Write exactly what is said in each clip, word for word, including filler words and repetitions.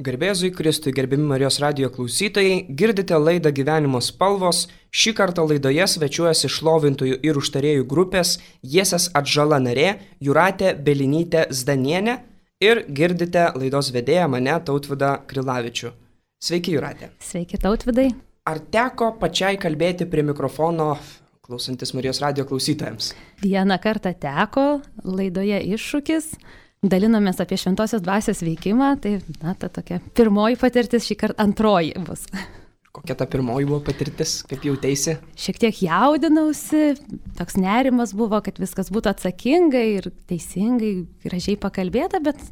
Garbėzui Kristui, gerbiami Marijos radijo klausytojai, girdite laidą Gyvenimo spalvos. Šį kartą laidoje svečiuojasi šlovintojų ir užtarėjų grupės Jiesės atžala narė Jūratė Belinytė Zdanienė ir girdite laidos vedėją mane Tautvydą Krilavičių. Sveiki, Jūratė. Sveiki, Tautvydai. Ar teko pačiai kalbėti prie mikrofono klausantis Marijos radijo klausytojams? Vieną kartą teko, laidoje Iššūkis. Dalinomės apie šventosios dvasios veikimą, tai na, ta tokia pirmoji patirtis, šį kartą antroji bus. Kokia ta pirmoji buvo patirtis, kaip jautėsi? Šiek tiek jaudinausi, toks nerimas buvo, kad viskas būtų atsakingai ir teisingai, gražiai pakalbėta, bet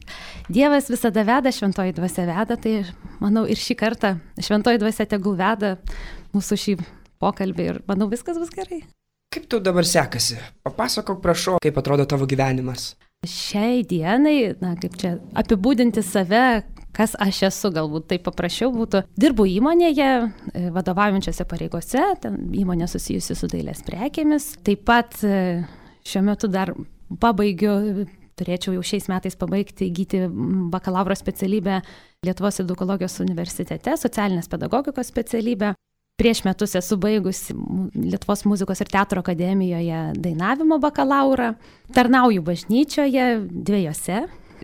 Dievas visada veda, šventoji dvasia veda, tai manau ir šį kartą šventoji dvasia tegul veda mūsų šį pokalbį ir manau viskas bus gerai. Kaip tau dabar sekasi? Papasakok, prašau, kaip atrodo tavo gyvenimas. Šiai dienai, na, kaip čia apibūdinti save, kas aš esu, galbūt taip paprasčiau būtų. Dirbu įmonėje, vadovaujančiose pareigose, ten įmonė susijusi su dailės prekėmis. Taip pat šiuo metu dar pabaigiu, turėčiau jau šiais metais pabaigti įgyti bakalauro specialybę Lietuvos edukologijos universitete, socialinės pedagogikos specialybę. Prieš metus esu baigusi Lietuvos muzikos ir teatro akademijoje dainavimo bakalaurą. Tarnauju bažnyčioje dviejose.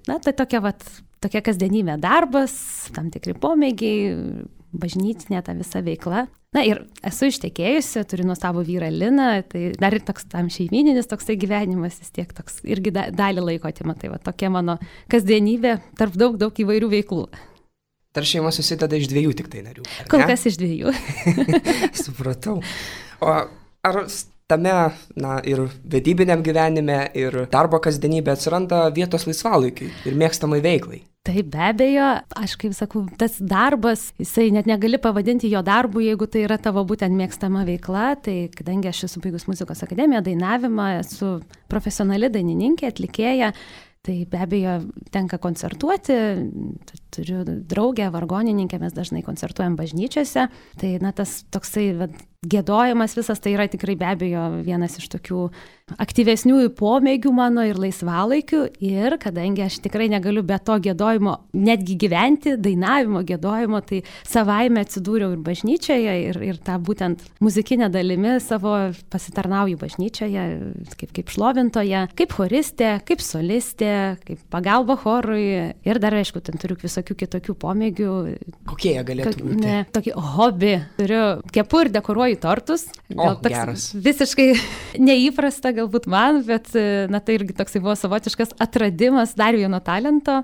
Na, tai tokia, vat, tokia kasdienybė darbas, tam tikri pomėgiai, bažnytinė ta visa veikla. Na ir esu ištekėjusi, turiu nuostabų vyrą Liną, tai dar ir toks tam šeimyninis toksai gyvenimas, vis tiek toks irgi da, dalį laiko atima. Tai va, tokia mano kasdienybė tarp daug, daug įvairių veiklų. Ar šeima susideda iš dviejų tik tai narių? Kol kas iš dviejų. Supratau. O ar tame, na, ir vedybiniam gyvenime, ir darbo kasdienybė atsiranda vietos laisvalaikiui ir mėgstamai veiklai? Taip, be abejo, aš kaip sakau, tas darbas, jisai net negali pavadinti jo darbu, jeigu tai yra tavo būtent mėgstama veikla, tai kadangi aš esu baigus muzikos akademiją, dainavimą, esu profesionali dainininkė, atlikėja, tai be abejo tenka koncertuoti, turiu draugę, vargonininkę, mes dažnai koncertuojam bažnyčiose, tai na, tas toksai va, giedojimas visas tai yra tikrai be abejo vienas iš tokių aktyvesnių pomėgių mano ir laisvalaikių ir kadangi aš tikrai negaliu be to giedojimo netgi gyventi, dainavimo, giedojimo, tai savaime atsidūriau ir bažnyčioje ir, ir tą būtent muzikinę dalimi savo pasitarnauju bažnyčioje, kaip, kaip šlovintoje, kaip choristė, kaip solistė, kaip pagalba chorui ir dar, aišku, ten turiu visokių kitokių pomėgių. Kokie jie galėtų būti? Ne, tokį hobį. Turiu kepu ir dekoruoju tortus. Gal o, geras. Visiškai neįprasta galbūt man, bet na, tai irgi toksai buvo savotiškas atradimas dar vieno talento.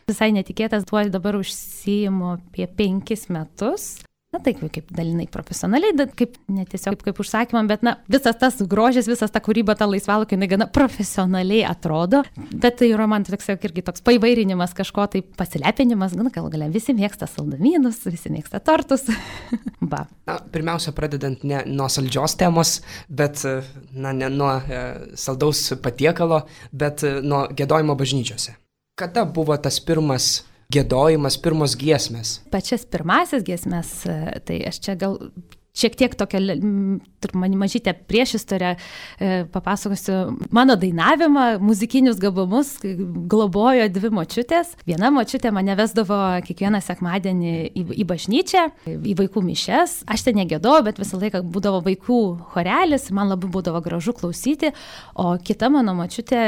Visai netikėtas, tuo dabar užsiimu apie penkis metus. Na tai kaip dalinai profesionaliai, kaip ne tiesiog kaip, kaip užsakymam, bet na, visas tas grožis, visas ta kūryba, ta laisvalaikiai, jinai gana profesionaliai atrodo, bet tai yra man toks, irgi toks paįvairinimas, kažko tai pasilepinimas, gal gal galia visi mėgsta saldumynus, visi mėgsta tortus. Ba. Na, pirmiausia, pradedant ne nuo saldžios temos, bet na, ne nuo e, saldaus patiekalo, bet e, nuo giedojimo bažnyčiose. Kada buvo tas pirmas giedojimas, pirmos giesmės? Pačias pirmasis giesmės, tai aš čia gal šiek tiek tokią man mažytę priešistorę papasakosiu. Mano dainavimą, muzikinius gabumus globojo dvi močiutės. Viena močiutė mane vesdavo kiekvieną sekmadienį į, į bažnyčią, į vaikų mišias. Aš ten negėdojau, bet visą laiką būdavo vaikų chorelis, man labai būdavo gražu klausyti. O kita mano močiutė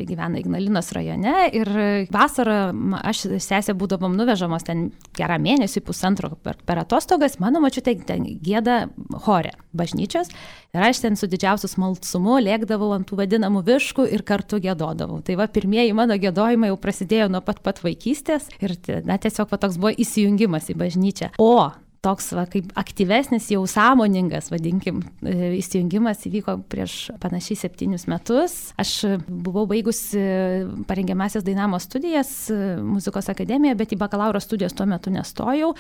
gyvena Ignalinos rajone ir vasarą aš sesė būdavom nuvežamos ten gerą mėnesį, pusantro per, per atostogas. Mano močiutė ten gieda chore bažnyčios ir aš ten su didžiausiu smalsumu lėkdavau ant tų vadinamų viškų ir kartu giedodavau. Tai va, pirmieji mano giedojimai jau prasidėjo nuo pat pat vaikystės ir na, tiesiog va, toks buvo įsijungimas į bažnyčią. O toks va, kaip aktyvesnis, jau sąmoningas, vadinkim, įsijungimas įvyko prieš panašiai septynius metus. Aš buvau baigusi parengiamasias dainavimo studijas muzikos akademijoje, bet į bakalauro studijas tuo metu nestojau.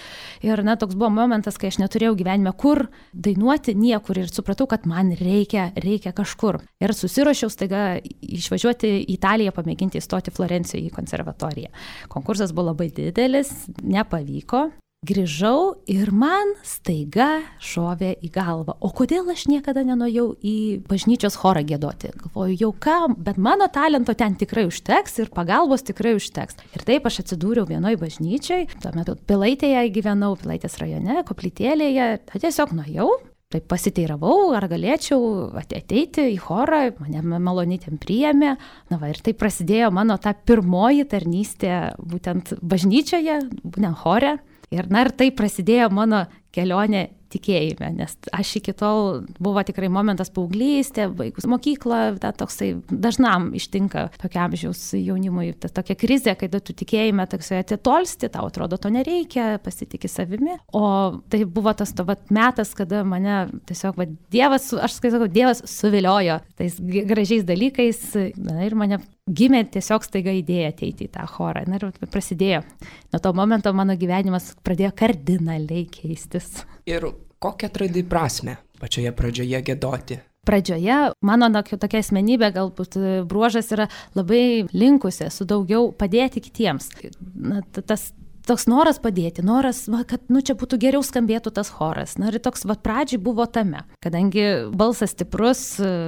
Ir na, toks buvo momentas, kai aš neturėjau gyvenime kur dainuoti niekur ir supratau, kad man reikia, reikia kažkur. Ir susiruošiau staiga išvažiuoti į Italiją, pamėginti įstoti Florencijoje į konservatoriją. Konkursas buvo labai didelis, nepavyko. grįžau ir man staiga šovė į galvą, o kodėl aš niekada nenuėjau į bažnyčios chorą giedoti. Galvoju, jau ką, bet mano talento ten tikrai užteks ir pagalbos tikrai užteks. Ir taip aš atsidūriau vienoje bažnyčiai, tuo metu Pilaitėje gyvenau, Pilaitės rajone, koplytėlėje, tiesiog nuėjau. Taip pasiteiravau, ar galėčiau ateiti į chorą, mane maloniai ten priėmė. Na va, ir tai prasidėjo mano ta pirmoji tarnystė būtent bažnyčioje, būtent chore. Ir na ir tai prasidėjo mano kelionė tikėjime, nes aš iki tol buvo tikrai momentas paauglystė, baigus mokyklą, ta toksai dažnam ištinka tokia amžiaus jaunimui, ta tokia krizė, kai tu tikėjime toksai atitolsti, tau atrodo to nereikia, pasitiki savimi. O tai buvo tas to vat metas, kada mane tiesiog va, Dievas, aš sakau, Dievas suviliojo tais gražiais dalykais, na, ir mane gimė tiesiog staiga idėja ateiti į tą chorą. Na ir prasidėjo. Nuo to momento mano gyvenimas pradėjo kardinaliai keistis. Ir kokią atradai prasmę pačioje pradžioje giedoti? Pradžioje mano na, tokia asmenybė, galbūt bruožas yra labai linkusi su daugiau padėti kitiems. Na, tas toks noras padėti, noras, va, kad nu, čia būtų geriau skambėtų tas choras. Na ir toks va, pradžiai buvo tame, kadangi balsas stiprus,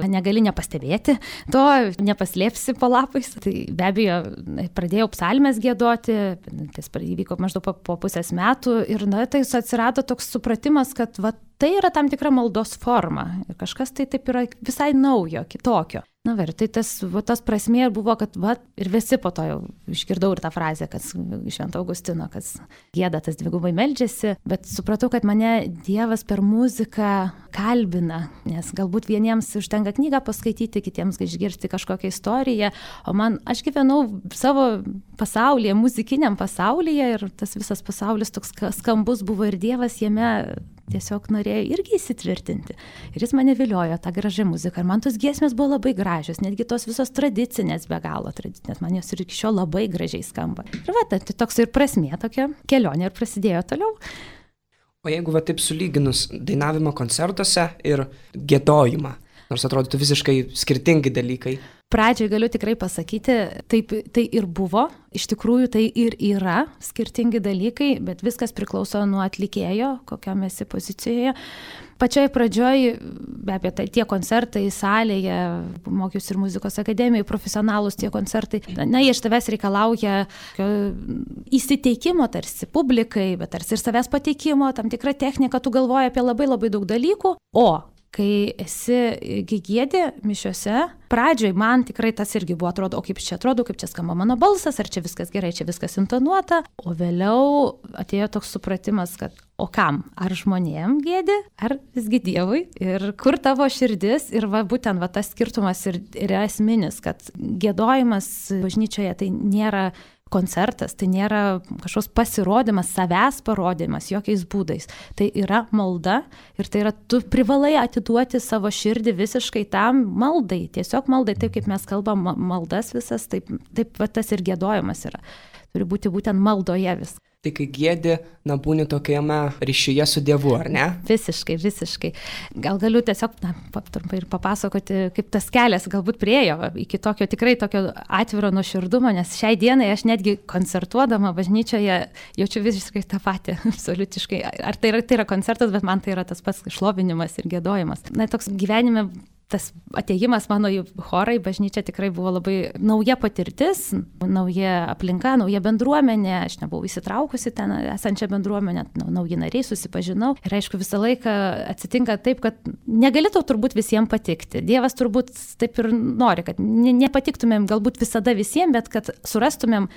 negali nepastebėti, to nepaslėpsi po lapais. Tai be abejo, pradėjau psalmes giedoti, tai įvyko maždaug po, po pusės metų ir na, tai atsirado toks supratimas, kad va, tai yra tam tikra maldos forma ir kažkas tai taip yra visai naujo, kitokio. Na, ir tai tas, va, tas prasmė buvo, kad va, ir visi po to jau išgirdau ir tą frazę, kad Švento Augustino, kad gieda tas dvigubai meldžiasi, bet supratau, kad mane Dievas per muziką kalbina, nes galbūt vieniems užtenka knygą paskaityti, kitiems išgirsti kažkokią istoriją, o man, aš gyvenau savo pasaulyje, muzikiniam pasaulyje ir tas visas pasaulis toks skambus buvo ir Dievas jame tiesiog norėjo irgi įsitvirtinti. Ir jis mane viliojo tą gražią muziką. Ir man tos giesmės buvo labai gražios, netgi tos visos tradicinės, be galo tradicinės, man jos ir iki šiol labai gražiai skamba. Ir va, tai toks ir prasmė tokia kelionė ir prasidėjo toliau. O jeigu va taip sulyginus dainavimo koncertuose ir giedojimą, nors atrodytų visiškai skirtingi dalykai. Pradžioj galiu tikrai pasakyti, taip tai ir buvo, iš tikrųjų tai ir yra skirtingi dalykai, bet viskas priklauso nuo atlikėjo, kokiam esi pozicijoje. Pačioj pradžioj, be abejo, tai tie koncertai salėje, mokiausi ir muzikos akademijoje, profesionalūs tie koncertai, na, jie iš tavęs reikalauja įsiteikimo tarsi publikai, bet tarsi ir savęs pateikimo, tam tikra technika, tu galvoji apie labai labai daug dalykų, o kai esi giedi mišiose, pradžioj man tikrai tas irgi buvo, atrodo, o kaip čia atrodo, kaip čia skamba mano balsas, ar čia viskas gerai, čia viskas intonuota, o vėliau atėjo toks supratimas, kad o kam, ar žmonėm giedi, ar visgi Dievui, ir kur tavo širdis, ir va, būtent va, tas skirtumas ir, ir esminis, kad giedojimas bažnyčioje tai nėra koncertas, tai nėra kažkoks pasirodymas, savęs parodymas jokiais būdais. Tai yra malda ir tai yra, tu privalai atiduoti savo širdį visiškai tam maldai, tiesiog maldai, taip kaip mes kalbam maldas visas, taip, taip va, tas ir giedojimas yra. Turi būti būtent maldoje vis. Tai kai giedi, na, būni tokiame ryšyje su Dievu, ar ne? Visiškai, visiškai. Gal galiu tiesiog, na, trumpai ir papasakoti, kaip tas kelias galbūt priėjo iki tokio tikrai tokio atviro nuoširdumo, nes šiai dienai aš netgi koncertuodama bažnyčioje jaučiu visiškai tą patį, absoliutiškai. Ar tai yra, tai yra koncertas, bet man tai yra tas pats šlovinimas ir giedojimas. Na, toks gyvenime tas atėjimas mano į chorą, į bažnyčią tikrai buvo labai nauja patirtis, nauja aplinka, nauja bendruomenė, aš nebuvau įsitraukusi ten esančią bendruomenę, nauji nariai susipažinau ir aišku visą laiką atsitinka taip, kad negali tau turbūt visiems patikti. Dievas turbūt taip ir nori, kad nepatiktumėm galbūt visada visiems, bet kad surastumėm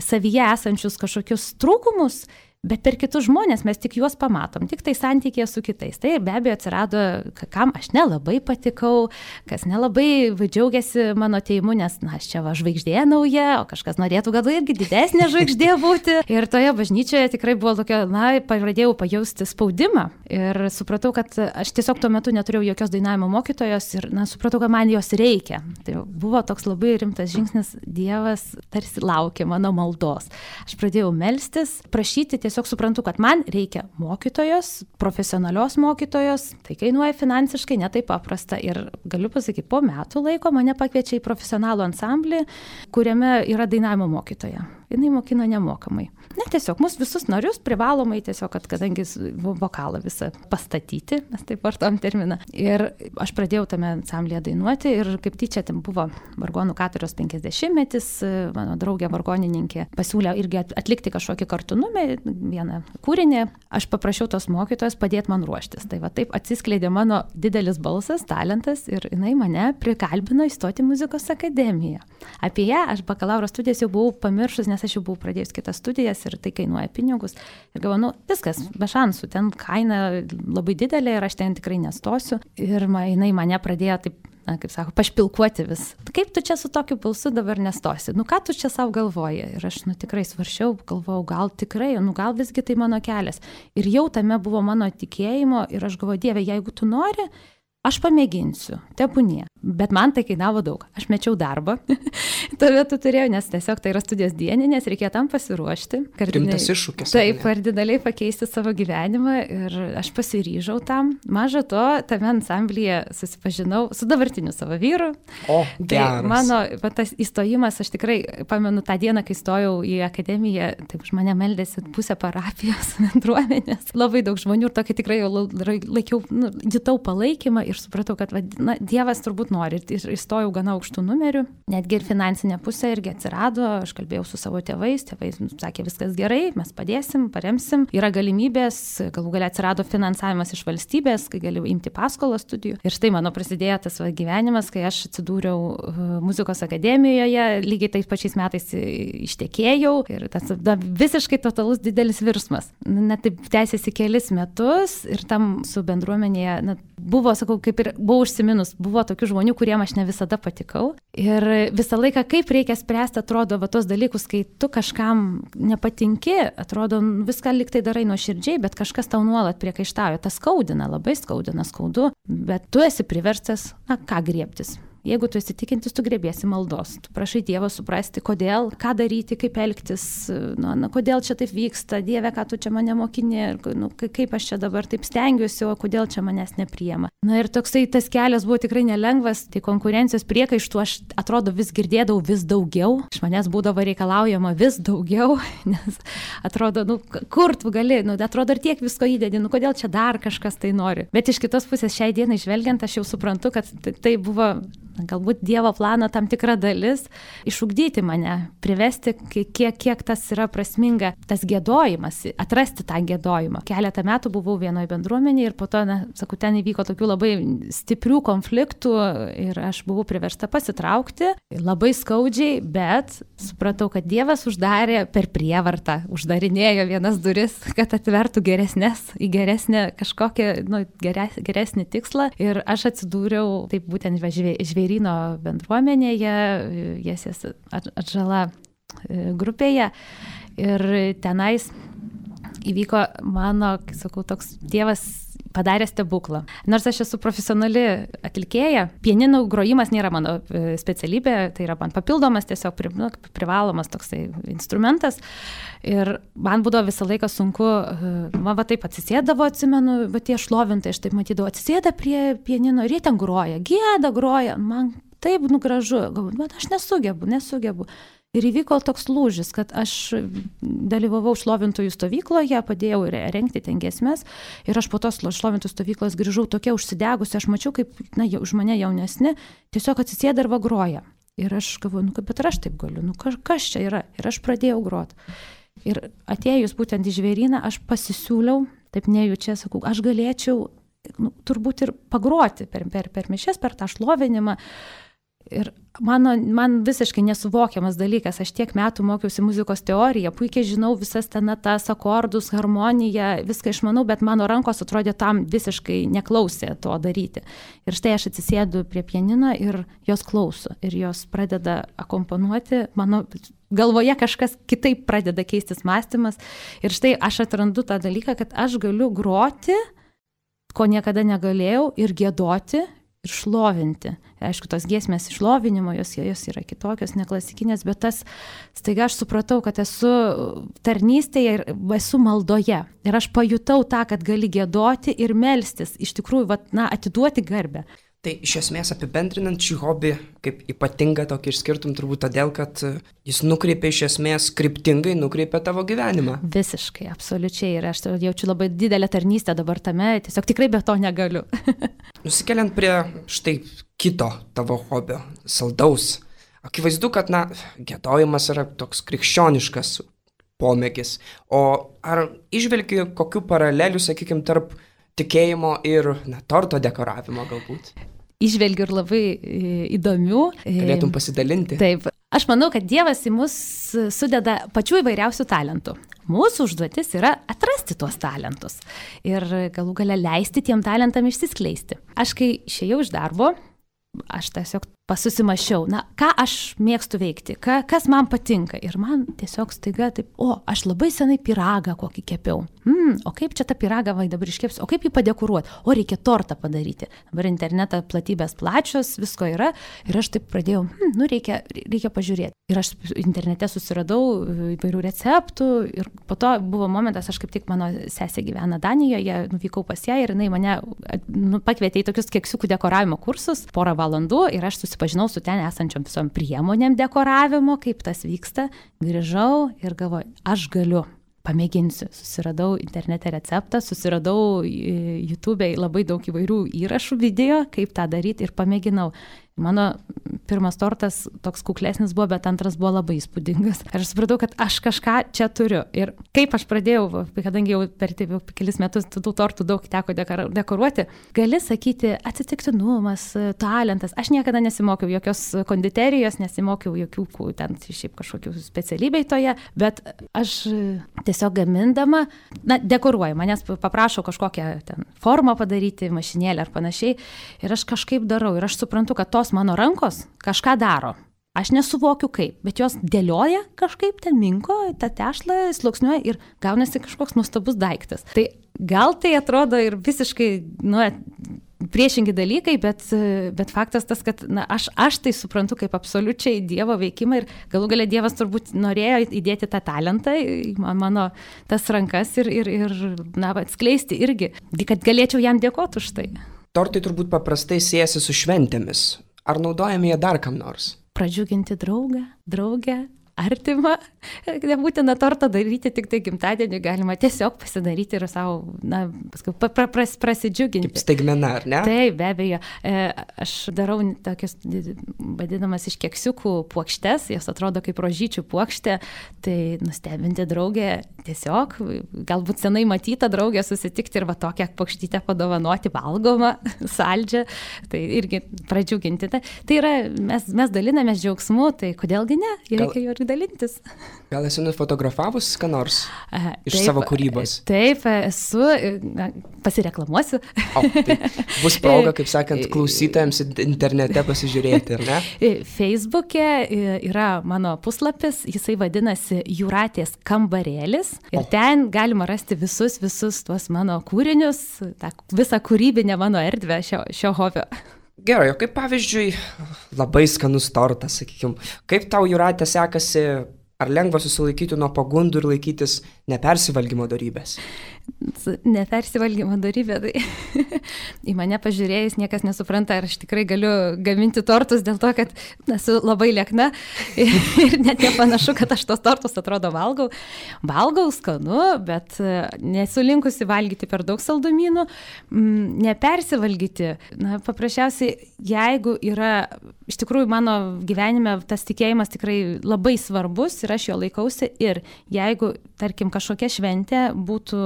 savyje esančius kažkokius trūkumus, bet per kitus žmonės mes tik juos pamatom, tik tai santykėje su kitais. Tai be abejo atsirado, kam aš nelabai patikau, kas nelabai džiaugiasi mano atėjimu, nes na, aš čia va žvaigždė nauja, o kažkas norėtų gal irgi didesnė žvaigždė būti. Ir toje bažnyčioje tikrai buvo tokia, na, pradėjau pajausti spaudimą ir supratau, kad aš tiesiog tuo metu neturėjau jokios dainavimo mokytojos ir na, supratau, kad man jos reikia. Tai buvo toks labai rimtas žingsnis, Dievas tarsi laukė mano maldos. Aš pradėjau melstis, prašyti tiesiog Tiesiog suprantu, kad man reikia mokytojos, profesionalios mokytojos, tai kainuoja finansiškai netaip paprasta ir galiu pasakyti, po metų laiko mane pakviečia į profesionalų ansamblį, kuriame yra dainavimo mokytoja. jinai mokino nemokamai. Ne, tiesiog mus visus narius privalomai tiesiog, kad kadangi vokalą visą pastatyti, mes taip vartom terminą. Ir aš pradėjau tame ansamblėje dainuoti ir kaip tyčia ten buvo vargonų katedros penkiasdešimtmetis, mano draugė vargonininkė pasiūlė irgi atlikti kažkokį kartu numerį, vieną kūrinį. Aš paprašiau tos mokytojos padėti man ruoštis. Tai va taip atsiskleidė mano didelis balsas, talentas ir jinai mane prikalbino įstoti muzikos akademiją. Apie ją aš bakalauro studijas jau buvau pamiršus, nes aš jau buvau pradėjus kitas studijas ir tai kainuoja pinigus. Ir galvoju, nu, viskas, be šansų, ten kaina labai didelė ir aš ten tikrai nestosiu. Ir ma, jinai mane pradėjo taip, na, kaip sako, pašpilkuoti vis. Kaip tu čia su tokiu balsu dabar nestosi? Nu, ką tu čia savo galvoji? Ir aš, nu, tikrai svaršiau, galvojau, gal tikrai, nu, gal visgi tai mano kelias. Ir jau tame buvo mano tikėjimo ir aš galvoju, Dieve, jeigu tu nori, aš pamėginsiu, tebūnie. Bet man tai kainavo daug. Aš mečiau darbą. Tuo metu turėjau, nes tiesiog tai yra studijos dieninės, reikėjo tam pasiruošti. Rimtas iššūkis. Taip, kardinaliai pakeisti savo gyvenimą ir aš pasiryžau tam. Maža to, tame ansamblyje susipažinau su dabartiniu savo vyru. O, geras. Tai mano va, tas įstojimas, aš tikrai pamenu tą dieną, kai stojau į akademiją, taip už mane meldėsi pusę parapijos bendruomenės. Labai daug žmonių ir tokį tikrai jau laikiau, nu, jutau palaikymą ir supratau, kad va, na, Dievas turbūt nori. Ir įstojau gana aukštų numerių. Netgi ir finansinė pusė irgi atsirado. Aš kalbėjau su savo tėvais. Tėvai sakė, viskas gerai, mes padėsim, paremsim. Yra galimybės, galų galia atsirado finansavimas iš valstybės, kai galiu imti paskolą studijų. Ir štai mano prasidėjo tas va, gyvenimas, kai aš atsidūriau muzikos akademijoje, lygiai tais pačiais metais ištekėjau. Ir tas da, visiškai totalus didelis virsmas. Net taip tęsiasi kelis metus ir tam su bendruomenėje na, buvo, sakau, kaip ir buvau užsiminus, buvo tokių žmonių, kuriem aš ne visada patikau. Ir visą laiką, kaip reikia spręsti, atrodo, va tos dalykus, kai tu kažkam nepatinki, atrodo, viską lyg tai darai nuoširdžiai, bet kažkas tau nuolat priekaištauja. Tas skaudina, labai skaudina, skaudu, bet tu esi priverstas, na, ką griebtis. Jeigu tu esi tikintis, tu grėbėsi maldos. Tu prašai Dievo suprasti, kodėl, ką daryti, kaip elgtis, na, na, kodėl čia taip vyksta, Dieve, ką tu čia mane mokini, nu, kaip aš čia dabar taip stengiuosi, o kodėl čia manęs nepriema. Na ir toksai tas kelias buvo tikrai nelengvas, tai konkurencijos priekaištų aš atrodo vis girdėdavau vis daugiau, iš manęs būdavo reikalaujama vis daugiau, nes atrodo, nu, kur tu gali, nu, atrodo ir tiek visko įdedi, nu, kodėl čia dar kažkas tai nori. Bet iš kitos pusės šiai dienai žvelgiant, aš jau suprantu, kad tai buvo galbūt Dievo plano tam tikra dalis, išugdyti mane, privesti, kiek, kiek tas yra prasminga, tas giedojimas, atrasti tą giedojimą. Keletą metų buvau vienoje bendruomenėje ir po to, na, sakau, ten įvyko tokių labai stiprių konfliktų ir aš buvau priversta pasitraukti, labai skaudžiai, bet supratau, kad Dievas uždarė per prievartą, uždarinėjo vienas duris, kad atvertų geresnės, į geresnę kažkokią, nu, geres, geresnį tikslą ir aš atsidūriau taip būtent žvėryno bendruomenėje, Jesės Atžala grupėje ir tenais įvyko mano, sakau, toks Dievas padarė stebuklą. Nors aš esu profesionali atlikėja, pianinų grojimas nėra mano specialybė, tai yra man papildomas, tiesiog pri, nu, privalomas toksai instrumentas. Ir man būdavo visą laiką sunku, man va taip atsisėdavo, atsimenu, va tie šlovintai, aš taip matydavau, atsisėda prie pianino ir jie ten groja, gieda, groja, man taip nu gražu, galvoju, bet aš nesugebu, nesugebu. Ir įvyko toks lūžis, kad aš dalyvavau šlovintojų stovykloje, padėjau rengti ten giesmes ir aš po tos šlovintojų stovyklos grįžau tokia užsidegusi, aš mačiau, kaip na, už mane jaunesni tiesiog atsisėda ir va groja. Ir aš galvoju, nu, bet ir aš taip galiu, nu kas, kas čia yra? Ir aš pradėjau groti. Ir atėjus būtent į žvėryną, aš pasisiūliau, taip nejučia, sakau, aš galėčiau nu, turbūt ir pagroti per, per, per mišias, per tą šlovinimą. Ir mano, man visiškai nesuvokiamas dalykas, aš tiek metų mokiausi muzikos teoriją, puikiai žinau visas ten natas, akordus, harmoniją, viską išmanau, bet mano rankos atrodė tam visiškai neklausė to daryti. Ir štai aš atsisėdu prie pianino ir jos klauso, ir jos pradeda akompanuoti, mano galvoje kažkas kitaip pradeda keistis mąstymas. Ir štai aš atrandu tą dalyką, kad aš galiu groti, ko niekada negalėjau, ir giedoti, ir šlovinti. Aišku, tos giesmės išlovinimo, jos, jos yra kitokios, neklasikinės, bet tas, staiga aš supratau, kad esu tarnystėje ir esu maldoje. Ir aš pajutau tą, kad gali giedoti ir melstis, iš tikrųjų, vat, na, atiduoti garbę. Tai iš esmės apibendrinant šį hobį, kaip ypatingą tokį išskirtum turbūt todėl, kad jis nukreipia iš esmės, kryptingai nukreipia tavo gyvenimą. Visiškai, absoliučiai. Ir aš jaučiu labai didelę tarnystę dabar tame, tiesiog tikrai be to negaliu. Nusikeliant prie štai kito tavo hobio, saldaus. Akivaizdu, kad, na, giedojimas yra toks krikščioniškas pomėgis. O ar išvelgi kokių paralelių, sakykime, tarp tikėjimo ir, na, torto dekoravimo galbūt? Išvelgiu ir labai įdomių. Galėtum pasidalinti. Taip. Aš manau, kad Dievas į mus sudeda pačių įvairiausių talentų. Mūsų užduotis yra atrasti tuos talentus ir galų gale leisti tiem talentam išsiskleisti. Aš kai išėjau iš darbo, aš tiesiog pasusimašiau, na, ką aš mėgstu veikti, ka, kas man patinka. Ir man tiesiog staiga taip, o, aš labai senai pyragą kokį kepiau. Hmm, o kaip čia tą pyragą vai dabar iškepsiu, o kaip jį padekoruoti, o reikia tortą padaryti. Dabar internetą platybės plačios, visko yra. Ir aš taip pradėjau, hmm, nu reikia, reikia pažiūrėti. Ir aš internete susiradau įvairių receptų. Ir po to buvo momentas, aš kaip tik mano sesė gyvena Danijoje, nuvykau pas ją ir jinai mane nu, pakvietė į tokius keksiukų dekoravimo kursus porą valandų ir aš susipažinau su ten esančiom visom priemonėm dekoravimo, kaip tas vyksta. Grįžau ir galvoju, aš galiu. Pamėginsiu. Susiradau internete receptą, susiradau YouTube'e labai daug įvairių įrašų video, kaip tą daryti ir pamėginau. Mano pirmas tortas toks kuklesnis buvo, bet antras buvo labai įspūdingas. Ir aš supratau, kad aš kažką čia turiu. Ir kaip aš pradėjau, kadangi jau per taip, jau kelis metus tų tortų daug teko dekoruoti, gali sakyti atsitiktinumas, talentas. Aš niekada nesimokiau jokios konditerijos, nesimokiau jokių ten šiaip kažkokių specialybei toje, bet aš tiesiog gamindama, na, dekoruoju, manęs paprašau kažkokią ten formą padaryti, mašinėlę ar panašiai. Ir aš kažkaip darau. Ir aš suprantu, kad tos mano rankos kažką daro. Aš nesuvokiu kaip, bet jos dėlioja kažkaip ten minko, tą tešlą sluoksniuoja ir gaunasi kažkoks nuostabus daiktas. Tai gal tai atrodo ir visiškai, nu, priešingi dalykai, bet, bet faktas tas, kad na, aš, aš tai suprantu kaip absoliučiai Dievo veikimą ir galų gale Dievas turbūt norėjo įdėti tą talentą į mano tas rankas ir, ir, ir na, atskleisti irgi, kad galėčiau jam dėkoti už tai. Tortai turbūt paprastai siejasi su šventėmis. Ar naudojame jie dar kam nors? Pradžiuginti draugą, draugę, artimą. Nebūtina tortą daryti tik tai gimtadienį, galima tiesiog pasidaryti ir savo, na, paskui pra, pra, pras, prasidžiuginti. Kaip staigmena, ar ne? Taip, be abejo. E, aš darau tokius, vadinamas iš keksiukų puokštes, jos atrodo kaip rožyčių puokštė, tai nustebinti draugę tiesiog, galbūt senai matytą draugę susitikti ir va tokią puokštytę padovanoti valgomą, saldžią, tai irgi pradžiuginti. Tai, tai yra, mes, mes dalinamės džiaugsmu, tai kodėlgi ne, reikia jo ir dalintis. Gal esi nufotografavus ką nors iš taip, savo kūrybos? Taip, esu, pasireklamuosiu. O, tai bus proga, kaip sakant, klausytojams internete pasižiūrėti, ar ne? Facebook'e yra mano puslapis, jisai vadinasi Jūratės kambarėlis ir o. Ten galima rasti visus, visus tuos mano kūrinius, tą visą kūrybinę mano erdvę šio, šio hobio. Gerai, o kaip pavyzdžiui, labai skanus tortas, sakykime, kaip tau, Jūratė, sekasi, ar lengva susilaikyti nuo pagundų ir laikytis nepersivalgymo dorybės? Nepersivalgymo dorybė, tai į mane pažiūrėjus niekas nesupranta, ar aš tikrai galiu gaminti tortus dėl to, kad esu labai liekna ir net nepanašu, kad aš tos tortus atrodo valgau. Valgau skanu, bet nesu linkusi valgyti per daug saldumynų, nepersivalgyti. Na, paprasčiausiai, jeigu yra, iš tikrųjų mano gyvenime tas tikėjimas tikrai labai svarbus ir aš jo laikausi ir jeigu, tarkim, kažkokia šventė būtų,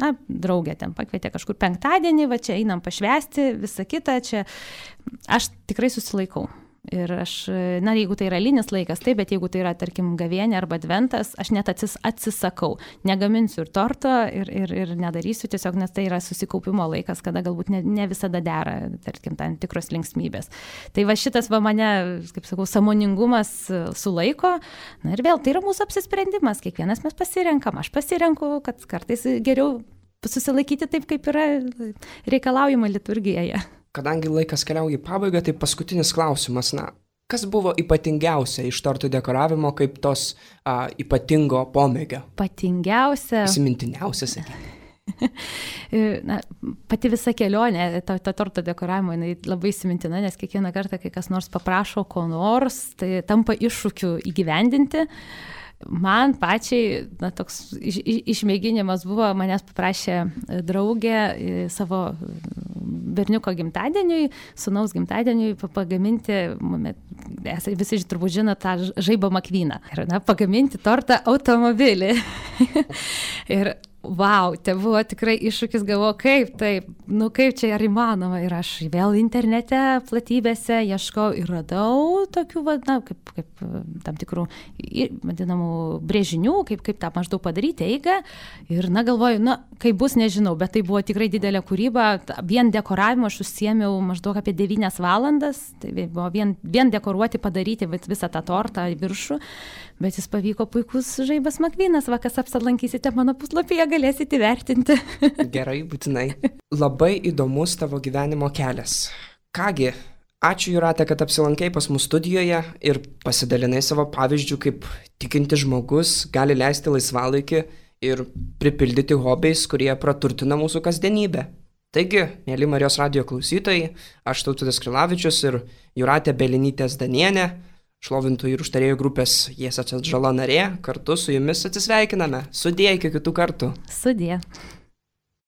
na, draugė ten pakvietė kažkur penktadienį, va čia einam pašvęsti, visą kitą, čia aš tikrai susilaikau. Ir aš, na, jeigu tai yra linis laikas, taip, bet jeigu tai yra, tarkim, gavienė arba adventas, aš net atsis, atsisakau. Negaminsiu ir torto ir, ir, ir nedarysiu tiesiog, nes tai yra susikaupimo laikas, kada galbūt ne, ne visada dera, tarkim, tam tikros linksmybės. Tai va šitas va mane, kaip sakau, sąmoningumas sulaiko. Na ir vėl, tai yra mūsų apsisprendimas, kiekvienas mes pasirenkam. Aš pasirenku, kad kartais geriau susilaikyti taip, kaip yra reikalaujama liturgijoje. Kadangi laikas keliauja į pabaigą, tai paskutinis klausimas, na, kas buvo ypatingiausia iš tortų dekoravimo kaip tos a, ypatingo pomėgio? Ypatingiausia. Įsimintiniausia, sakykime. Na, pati visa kelionė, ta, ta torto dekoravimo, jinai labai įsimintina, nes kiekvieną kartą, kai kas nors paprašo ko nors, tai tampa iššūkiu įgyvendinti. Man pačiai, na, toks iš, išmėginimas buvo, manęs paprašė draugė savo berniuko gimtadieniui, sūnaus gimtadieniui pagaminti, visi turbūt žino tą žaibą makvyną, ir, na, pagaminti tortą automobilį. Ir vau, tai buvo tikrai iššūkis, galvoju, kaip taip, nu kaip čia ar įmanoma. Ir aš vėl internete platybėse ieškau ir radau tokių, na, kaip, kaip tam tikrų, vadinamų, brėžinių, kaip, kaip tą maždaug padaryti eigą. Ir, na, galvoju, na, kaip bus, nežinau, bet tai buvo tikrai didelė kūryba. Vien dekoravimo aš užsiėmiau maždaug apie devynias valandas. Tai buvo vien, vien dekoruoti, padaryti visą tą tortą į viršų. Bet jis pavyko puikus žaibas makvynas, va, kas apsilankysite mano puslapyje, galėsite įvertinti. Gerai, būtinai. Labai įdomus tavo gyvenimo kelias. Kągi, ačiū Jūrate, kad apsilankai pas mus studijoje ir pasidalinai savo pavyzdžių, kaip tikinti žmogus gali leisti laisvalaikį ir pripildyti hobiais, kurie praturtina mūsų kasdienybę. Taigi, mėly Marijos radijo klausytojai, aš Tautvydas Krilavičius ir Jūratė Belinytė Zdanienė, šlovintojų ir užtarėjų grupės Jėzus Atžala narė, kartu su jumis atsisveikiname. Sudie, iki kitų kartų. Sudie.